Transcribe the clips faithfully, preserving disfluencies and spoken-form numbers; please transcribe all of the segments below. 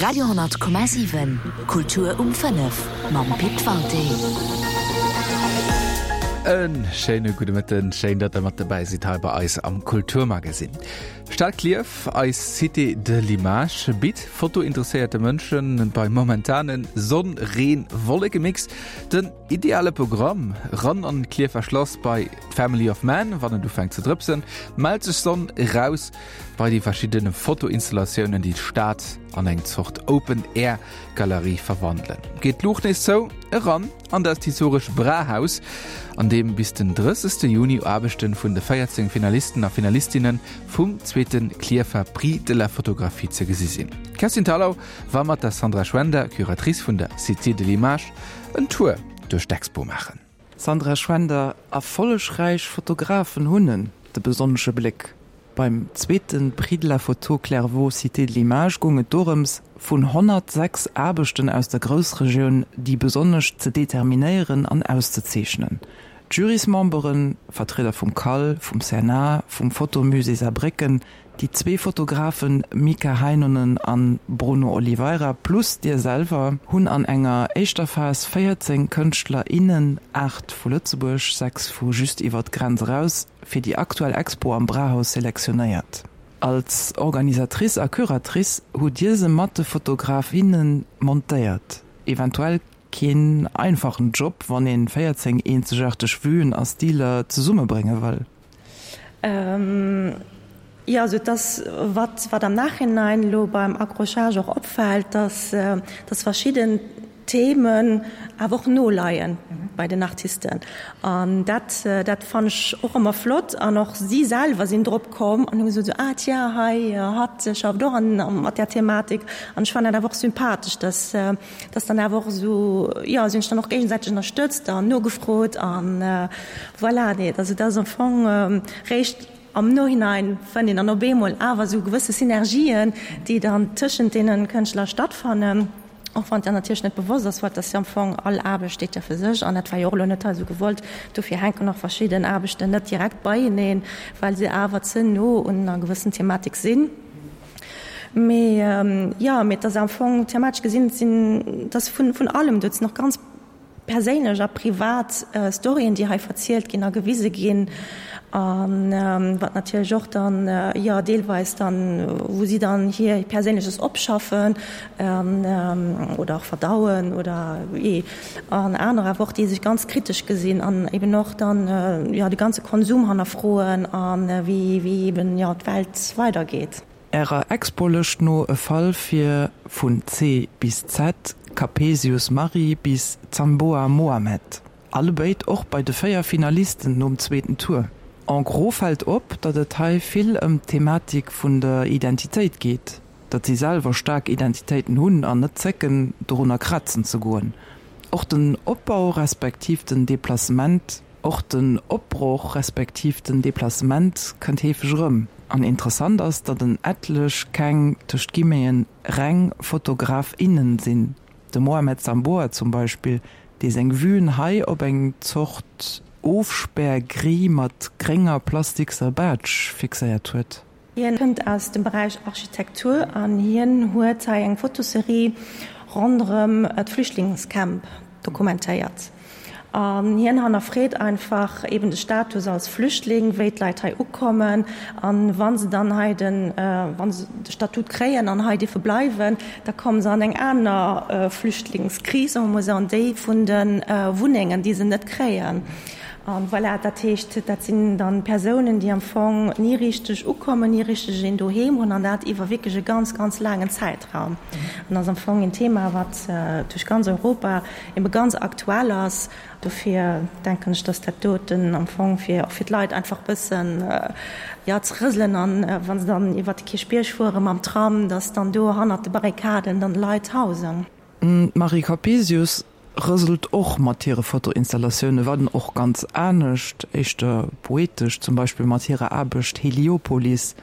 Radio honnert Komma siwen, Kultur um fënnef mam Pit Walté. E schéine gudde Mëtten, schéin datt der mat dobäi sidd hei bei eis am Kulturmagasinn. Stad Klierf, eis Cité de l'Image, bitt fotointeresséierte Mënschen beim momentanen Sonn-Reen-Wolleke-Mix den ideale Programm. Ran an d'Klierfer Schlass bei d'Family of Man, wann et ufänkt ze drëpsen, mellt sech Sonn, raus bei déi verschidden Fotoinstallatiounen, déi d'Stad an eng Zort Open-Air-Galerie verwandelen. Geet d'Luucht nees zou, eran an dat historesch Brahaus, an deem bis den drëssegste Juni Aarbechte vun de véierzéng Finalisten a Finalistinne vum zweete Klierfer Prix de la Photographie ze gesi sinn. D'Kerstin Thalau war mat der Sandra Schwender, Curatrice vun der Cité de l'Image, en Tour duerch d'Expo maachen. Sandra Schwender, Erfollegräich Fotografen hunn de besonnesche Bléck. Beim zweete Prix de la Photo Clairvaux Cité de l'Image goung et dorëms, vun honnertsechs Aarbechten aus der Groussregioun déi besonnesch ze determinéieren an auszezeechnen. D'Jurysmemberen, Vertrieder vum CAL, vum C N A, vum Photomusée Saarbrécken, déi zwee Fotografen Mika Heinonen an Bruno Oliveira plus dir selwer, hunn an enger éischter Phas véierzéng Kënschtler, innen, aacht vu Lëtzebuerg, sechs vu just iwwer d'Grenz eraus, fir déi aktuell Expo am Brahaus selektionéiert. Als Organisatrice a Curatrice hutt Dir se mat de Fotograf, inne montéiert. Eventuell keen einfachen Job, wann ee véierzéng eenzegaarteg Vuen a Stiler zesummebrénge wëll. Jo, also et ass, wat, wat am Nachhinein elo beim Accrochage och opfält, dass, dass verschidden Themen awer och noleien bei den Artisten. An dat, dat fannen ech och ëmmer flott. An och si selwer sinn drop komm an hu gesot, esou, ah tiens, hei, hatt schafft och an, mat där Thematik. An ech fannen dat awer och sympathesch, dass, dass dann awer och esou, jo, si hunn sech dann och géigesäiteg ënnerstëtzt an nogefrot an voilà. Nee, also dat ass am Fong réischt am Nohinein fënnt een dann op eemol awer esou gewësse Synergien, déi dann tëschent deene Kënschtler stattfannen, och wann et dann natierlech net bewosst ass, well et ass jo am Fong, all Aarbecht steet jo fir sech an dat war jo och elo net hei esou gewollt. Dofir hänken och verschidden Aarbechten net direkt beieneen, well se awer ze no un enger gewëssen Thematik sinn. Mee jo, mee et ass am Fong thematesch gesinn, et sinn, et ass vun allem do, et sinn och ganz perséinlech a privat Storyen, déi hei verzielt ginn a gewise ginn, a wat natierlech och dann, jo, deelweis dann, wou si dann hir Perséinleches opschaffen oder och verdauen oder jee, an aner awer och, déi sech ganz kritesch gesinn an eben och dann, jo, de ganze Konsum hannerfroen a wéi, wéi eben, jo, d'Welt weidergeet. Ärer Expo-Lëscht no e Fall fir vun C bis Z, Capesius Marie bis Zamboa Mohamed. Allebéid och bei de véier Finalisten nom zweeten Tour. En gros fält op, datt et hei vill ëm d'Thematik vun der Identitéit geet, datt si selwer staark Identitéiten hunn an net zécken, dorunner krazen ze goen. Och den Opbau respektiv den Deplacement Och den Opbroch respektiv den Deplacement kënnt heefeg erëm. An interessant ass, datt en etlech keng, tëscht Guillemeten, reng Fotograf, innen sinn. De Mohamed Zamboa zum Beispill, dee seng Vuen hei op eng Zort Ofspär-Grille mat grénger plastikser Baatsch fixéiert huet. Hien kënnt aus dem Beräich Architektur an hien huet hei eng Fotoserie ronderëm d'Flüchtlingscamp dokumentéiert. An hien hannerfreet einfach eben de Status als Flüchtling, wéi d'Leit hei ukommen an wa se dann hei den, wa se de Statut kréien an hei dierfe bleiwen, da komme se an eng aner Flüchtlingskris, soe mer mol esou, an déi vun de Wunnengen, déi se net kréien. An voilà, dat heescht, dat sinn dann Persounen, déi am Fong ni richteg ukommen, ni richteg een Doheem hunn, an dat iwwer wierklech e ganz, ganz laangen Zäitraum. An dat ass am Fong een Thema, wat duerch ganz Europa ebe ganz aktuell ass. Dofir denken ech, dass dat doten am Fong fir och fir d'Leit einfach e bëssen, jo, ze rëselen an wa se dann iwwert de Kierchbierg fuere mam Tram, dass dann do hannert de Barrikaden dann Leit hausen. D'Marie Capesius rëselt och mat hire Fotoinstallatioune, wann och ganz anescht, éischter poetesch, zum Beispill mat hirer Aarbecht Heliopolis,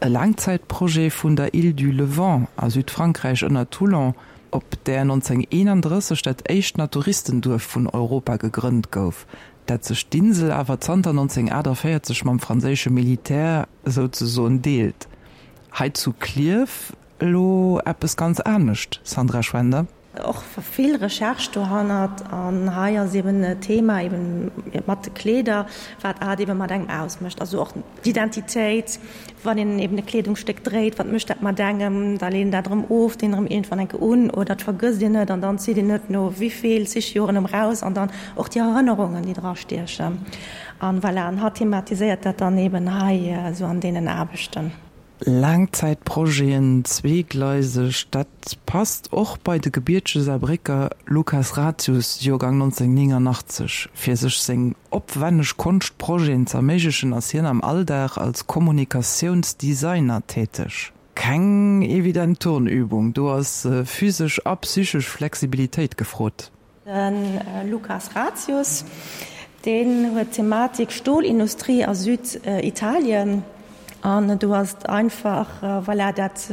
e Laangzäitprojet vun der Île du Levant a Südfrankräich ënner Toulon, op där nonzénhunnerteenandrësseg dat éischt Naturistenduerf vun Europa gegrënnt gouf, dat sech d'Insel awer zanter nonzénhunnertaachtavéierzeg mam franséische Militär souzesoen deelt. Hei zu Klierf elo eppes ganz anescht, Sandra Schwender? Och vill Recherche dohannert an hei ass eben e Thema eben mat de Kleeder, wat hat eben mat engem ausmécht. Also och d'Identitéit, wann een eben e Kleedungsstéck dréit, wat mécht dat mat engem, da leet een dat erëm of, deen erëm iergendwann eng Kéier un oder et vergësst een et an dann zitt een et no wéivill zig Joren erëm raus an dann och déi Erënnerungen, déi dra stiechen. An voilà, an hatt thematiséiert dat dann eben hei esou an deenen Aarbechten. Laangzäitprojeten, zweegleiseg, dat passt och bei de gebiertege Saarbrécker Lukas Ratius, Joergang nonzénhunnertnéngannachtzeg. Fir sech seng opwänneg Konschtprojeten z'erméiglechen, ass hien am Alldag als Kommunikatiounsdesigner täteg. Keng evident Turnübung, do ass physesch a psychesch Flexibilitéit gefrot. De Lukas Ratius, deen huet d'Thematik Stolindustrie a Süditalien. An do ass et einfach, voilà, dat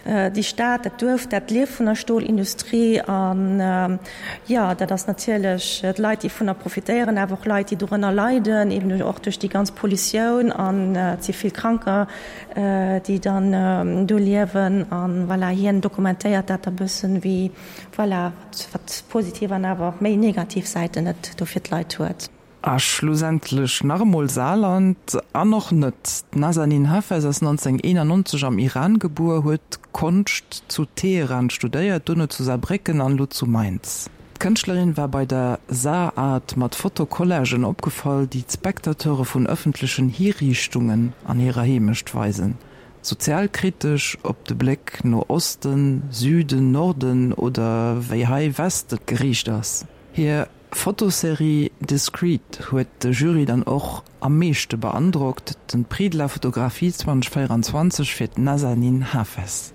déi Stad, dat Duerf, dat lieft vun der Stolindustrie. An jo, dat ass natierlech d'Leit, déi vunner profitéieren, awer och Leit, déi dorënner leiden, eben och duerch déi ganz Pollutioun. An et si vill Kranker, déi dann do liewen. An voilà, hien dokumentéiert dat e bëssen, wéi, voilà, wat positiv an awer och méi negativ Säiten et do fir d'Leit huet. A schlussendlech nach emol Saarland, an och net. D'Nazanin Hafez ass nonzénhunnerteenannonzeg am Iran gebuer, huet Konscht zu Teheran studéiert, duerno zu Saarbrécken an elo zu Mainz. D'Kënschtlerin war bei der SaarArt mat Fotocollagen opgefall, déi d'Spectateure vun ëffentlechen Hiriichtungen an hirer Heemecht weisen. Sozialkritesch, ob de Bléck no Osten, Süden, Norden oder wéi hei Weste geriicht ass. Hir Fotoserie Discreet huet de Jury dann och am meeschte beandrockt, den Prix de la Photographie zweitausendvéierundzwanzeg fir d'Nazanin Hafez.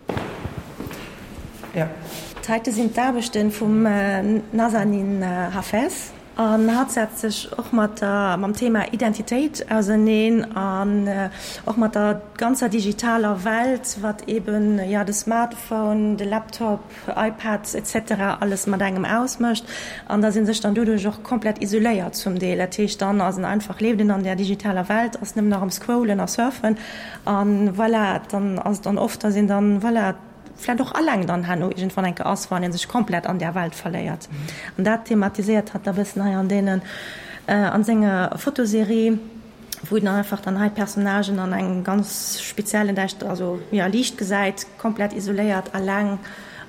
D'heite sinn d'Aarbechte vum Nazanin Hafez an hatt setzt sech och mat der mam Thema Identitéit auserneen an och mat der ganzer digitaler Welt, wat eben jo de Smartphone, de Laptop, iPads etc. Alles mat engem ausmécht an dass ee sech dann doduerch och komplett isoléiert zum Deel. Dat heescht, dann ass en einfach, leeft en an där digitaler Welt, ass nëmmen nach am Scrollen a Surfen an voilà, dann ass et dann oft, dass een dann, voilà, vläicht och alleng dann herno iergendwann eng Kéier ass, wann ee sech komplett an där Welt verléiert. An dat thematiséiert hatt da bëssen hei an deenen, an senger Fotoserie. wou een einfach dann hei d'Personnagen an engem ganz speziellen däischter, also jo Liicht gesäit, komplett isoléiert, alleng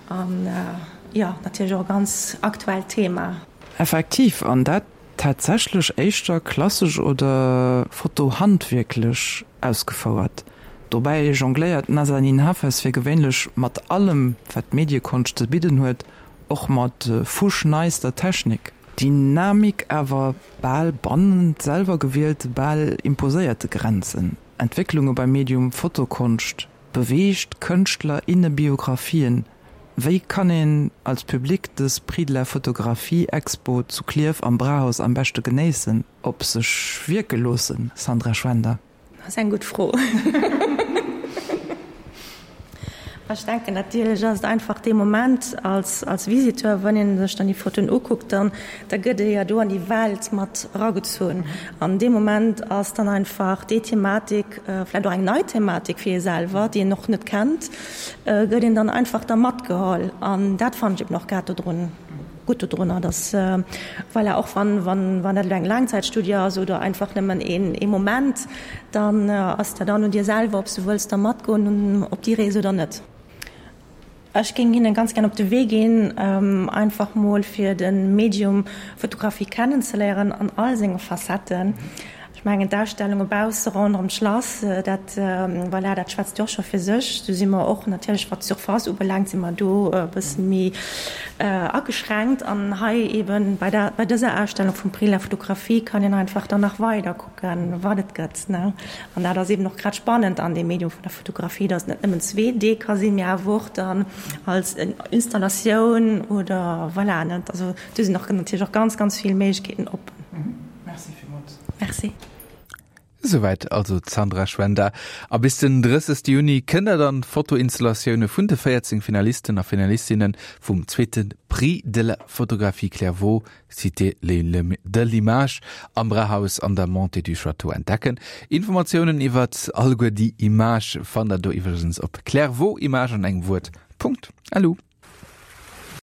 an jo natierlech och e ganz aktuellt Thema. Effektiv, an dat tatsächlech éischter klassesch oder fotohandwierklech ausgefouert. Dobäi jongléiert d'Nazanin Hafez fir gewéinlech mat allem, wat d'Mediekonscht ze bidden huet, och mat fuschneister Technik. Dynamik, awer bal bannent selwer gewielte, bal imposéierte Grenzen. Entwécklunge beim Medium Fotokonscht, beweegt Kënschtler, inne Biographien. Wéi kann een als Public dës Prix de la Photographie Expo zu Klierf am Brauhaus am beschte genéissen, op sech wierke loossen, Sandra Schwender? Dat ass eng gutt Fro. Ech denken natierlech ass et einfach dee Moment als, als Visiteur, wann ee sech dann déi Fotoen ukuckt, dann da gëtt ee jo do an déi Welt mat eragezunn. An dee Moment ass dann einfach déi Thematik, vläicht och eng nei Thematik fir ee selwer, déi een och net kennt, gëtt een dann einfach da matgeholl. An dat fannen ech eben och grad dodrun gutt dodrunner, dass, voilà, och wann, wann, wann dat elo eng Laangzäitstudie ass oder einfach nëmmen een, ee Moment, dann ass dat dann un dir selwer, ob s du wëlls da matgoen op déi Rees oder net. Ech géing hinnen ganz gär op de Wee ginn, einfach mol fir de Medium Fotografie kennenzeléieren an all senge Facetten. Ech mengen d'Ausstellunge bausse ronderëm d'Schlass, dat, voilà, dat schwätzt jo och scho fir sech. Do si mer och natierlech, wat d'Surface ubelaangt, si mer do e bësse méi ageschränkt. An hei eeben bei der, bei dëser Ausstellung vum Prix de la Photographie kann een einfach dann nach weider kucken, wat et gëtt, ne. An dat ass eeben och grad spannend an deem Medium vun der Fotografie, dass et net nëmmen zwee D ka sinn, mee awer och dann als Installatioun oder voilà, ne. Also do sinn och natierlech och ganz, ganz vill Méiglechkeeten op. Merci villmools. Merci. Esouwäit also d'Sandra Schwender. A bis den drëssegste Juni kënnt der dann d'Fotoinstallatioune vun de véierzéng Finalisten a Finalistinne vum zweete Prix de la photographie Clairvaux, Cité de l'Image am Brauhaus an der Montée du Château entdecken. Informatiounen iwwert alleguer déi Imagë fannt der do iwwregens op clairvauximage an engem Wuert Punkt lu.